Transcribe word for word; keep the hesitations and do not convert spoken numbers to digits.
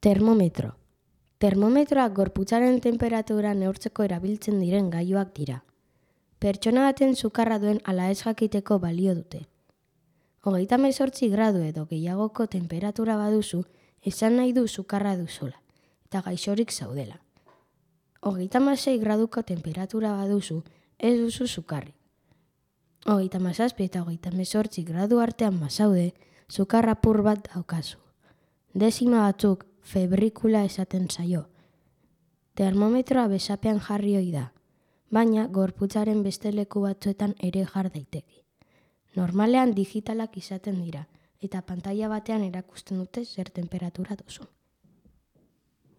Termometro. Termometroak gorputzaren temperatura neurtzeko erabiltzen diren gailuak dira. Pertsona baten sukarra duen ala ez jakiteko balio dute. Hogeita hemezortzi gradu edo gehiagoko temperatura baduzu, esan nahi du sukarra duzula, eta gaixorik zaudela. Hogeita hamasei graduko temperatura baduzu, ez duzu sukarrik. Hogeita hamazazpi eta hogeita hemezortzi gradu artean bazaude, sukar apur bat daukazu. Dezima batzuk febrikula esaten zaio. Termometroa besapean jarri ohi da, baina gorputzaren beste leku batzuetan ere jar daiteke. Normalean digitalak izaten dira, eta pantaila batean erakusten dute zer temperatura duzu.